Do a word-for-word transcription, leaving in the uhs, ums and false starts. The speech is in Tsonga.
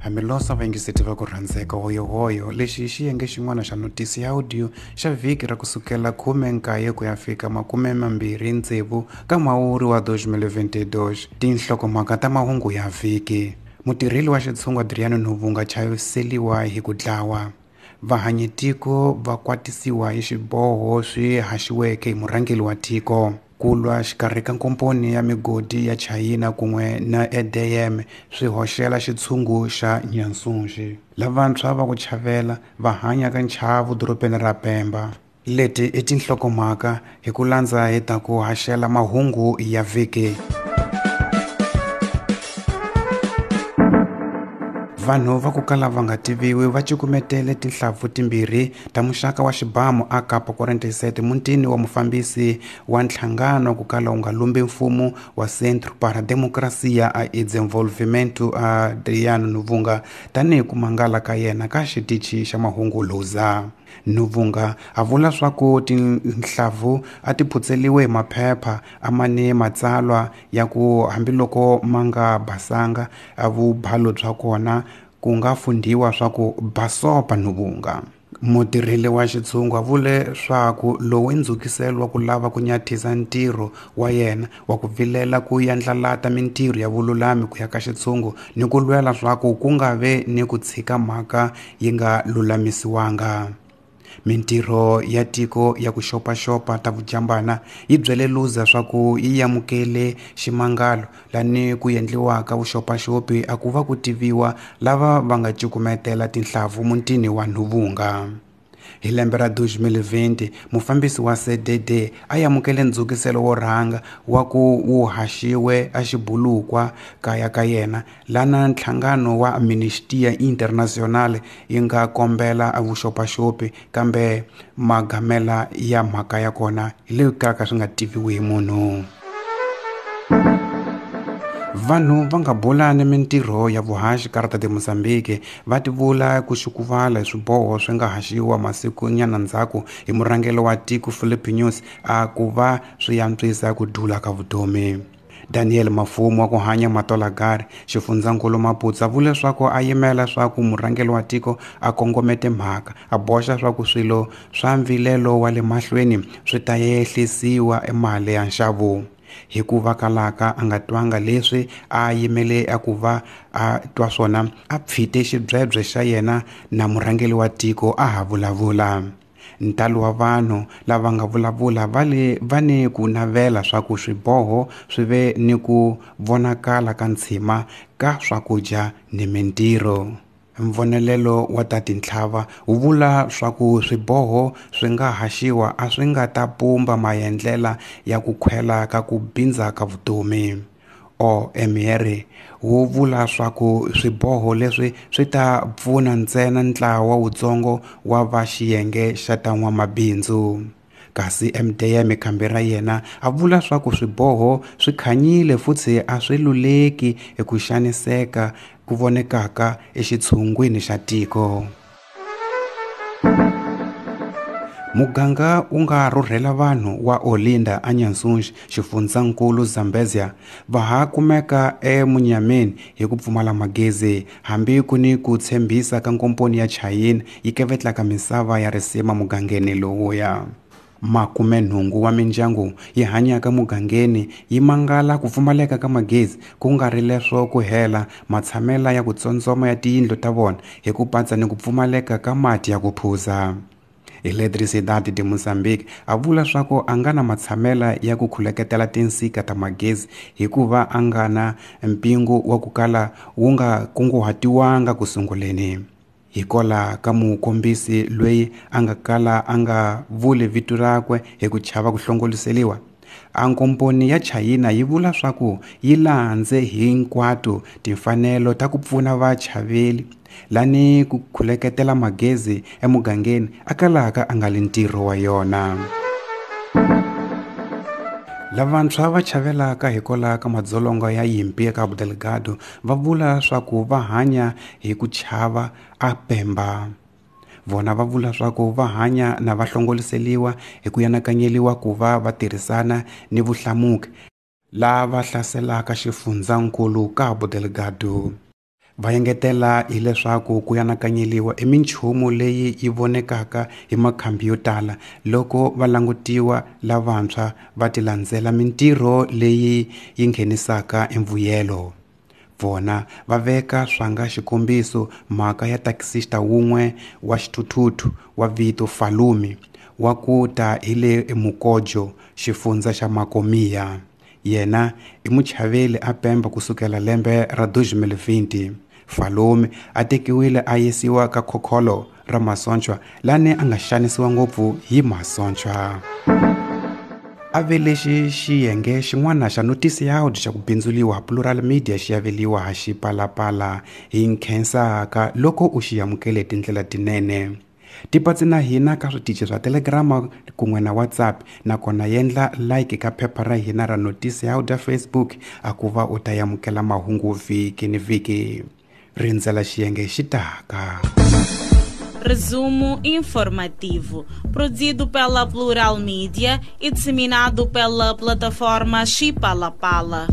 Hambileswi vayingiseti va ku rhandzeka hoyohoyo lexi i xiyenge xin'wana xa notisi ya audio xa vhiki ra kusukela khume nkaye ku ya fika makume mambirhi ntsevu ka Mhawuri wa twenty twenty-two. Tinhlokomhaka ta mahungu ya vhiki. Mutirheli wa xitshungu Adriano Nuvunga chaviseliwa hi ku dlawa. Vahanyitiko va kwatisiwa hi xiboho swi haxiweke hi murhangeri wa tiko. Ku lwa xikarhi ka nkomponi ya migodi ya Chayina kun'we na E D M swi hoxela xitshungu xa Nyansunxi. Lavantshwa va ku chavela va hanya ka nchavo dorobeni ra Pemba. Leti i tinhlokomhaka hi ku landza hi ta ku haxela mahungu ya vhiki. Vanhu va ku kala va nga tiviwi va cukumetele tinhlampfu timbirhi ta muxaka wa xibamu a Kapa forty-seven mutini wa mufambisi wa nhlangano ku kala wu nga lumbi mfumo wa Centro para Democracia e Desenvolvimento Adriano Nuvunga tanihi ku mangala ka yena ka xitichi xa mahungu Luza. Nuvunga a vula swa ku tinhlavu a ti phutseliwe hi maphepha a ma ni matsalwa ya ku hambiloko ma nga basanga a vubalo bya kona ku nga fundhiwa swa ku basopa Nuvunga. Mutirheli wa xitshungu a vule swaku lowu i ndzhukiselo wa ku lava ku nyathisa ntirho wa yena wa ku vilela ku yandlalata mintirho ya vululami ku ya ka xitshungu ni ku lwela swaku ku nga ve ni ku tshika mhaka yi nga lulamisiwanga. Mintirho ya tiko ya ku xopaxopa ta vujambana yi byele Luza swaku yi amukele ximangalo lani ku endliwaka vuxopaxopi a ku va ku tiviwa lava va nga cukumetela tinhlavu mutini wa Nuvunga. Hi lembe ra twenty twenty, mufambisi wa C D D a amukele ndzhukiselo wo rhanga wa ku wu haxiwe a xibulukwa kaya ka yena lana nhlangano wa Amnistia International yi nga kombela a vuxopaxopi kambe magamela ya mhaka ya kona hi le ka swi nga tiviwi hi munhu. Vanhu va nga bulani mintirho ya vuhaxi Carta de Mozambique va tivula ku xukuvala hi swiboho swi nga haxiwa masiku nyana ndzhaku hi murhangeri wa tiko Filipe Nyusi a ku va swi antswisa ku dula ka vutomi. Daniel Mafumo wa ku hanya Matolagari xifundzankulu Maputo a vule swaku a yimela swaku murhangeri wa tiko a kongomete mhaka a boxa swaku swilo swa mvilelo wa le mahlweni swi ta yehlisiwa emali ya nxavo. Hikuva kalaka a nga twanga leswi a yimele a ku va a twa swona a pfite xibyebye xa yena na murhangeri wa tiko a ha vulavula. Ntalo wa vanhu lava nga vulavula va le va ni ku navela swa ku swiboho swi ve ni ku vonakala ka ntshima ka swakudya ni mintirho. Mvonelelo wa ta tintlhava wu vula swaku swiboho swi nga haxiwa a swi nga ta pumba maendlela ya ku khwela ka ku bindza ka vutomi. O M R wu vula swaku swiboho leswi swi ta pfuna ntsena ntlawa wutsongo wa va xiyenge xa ta n'wamabindzu. Kasi M D M khambi ra yena a vula swaku swiboho swi khanyile futhi a swi luleki eku xaniseka ku vonekaka exitshungwini xa tiko. Muganga wu nga rhurhela vanhu wa Olinda a Nyansunxi xifundzankulu Zambezia va ha kumeka emunyameni hi ku pfumala magezi hambi ku ni ku tshembisa ka nkomponi ya Chayina yi kevetlaka misava ya risima mugangeni lowuya. Makume nhungu wa mindyangu yi hanyaka mugangeni yi mangala ku pfumaleka ka magezi ku nga ri leswo ku hela matshamela ya ku tsondzoma ya tiyindlu ta vona hi ku patsa ni ku pfumaleka ka mati ya ku phuza. Eletricidade de Mozambique a vula swaku a nga na matshamela ya ku khuleketela tinsika ta magezi hikuva a nga na mpingu wa ku kala wu nga kunguhatiwanga ku sunguleni. Hikola ka mukombisi loyi a nga kala a nga vuli vito rakwe hi ku chava ku hlongoliseliwa. A nkomponi ya Chayina yi vula swaku yi landze hinkwato timfanelo ta ku pfuna vachaveli lani ku khuleketela magezi emugangeni a kalaka a nga li ntirho wa yona. Lavantshwa va chavelaka hikwalaho ka madzolonga ya yimpi ya Cabo Delgado va vula swaku va hanya hi ku chava a Pemba. Vona va vula swaku va hanya na va hlongoliseliwa hi ku yanakanyeliwa ku va va tirhisana ni vuhlamuki lava hlaselaka xifundzankulu Cabo Delgado. Va engetela hileswaku ku anakanyeriwa i minchumu leyi yi vonekaka hi makhambi yo tala loko va langutiwa lavantshwa va ti landzela mintirho leyi yi nghenisaka emvuyelo. Vona va veka swanga xikombiso mhaka ya taxista wun'we wa xithuthuthu wa vito Falumi wa ku ta hi le eMukojo, xifundza xa Macomia. Yena i muchaveli a Pemba kusukela lembe ra dos mil vinte. Falumi a tekiwile a yisiwa ka khokholo ra masochwa lani a nga xanisiwa ngopfu hi masochwa. A ve lexi xiyenge xin'wana xa notisiyaudi xa ku bindzuliwa Plural Media xi aveliwa ha Xipalapala hi nkhensaka loko u xi amukele tindlela tinene. Tipatsi na hina ka switichi swa Telegram kun'we na WhatsApp, nakona yendla like ka phepha ra hina ra notisiyaudi ya Facebook a ku va u ta amukela mahungu vhiki ni vhiki. Rindzela xiyenge xi taka. Resumo informativo, produzido pela Plural Media e disseminado pela plataforma Xipalapala.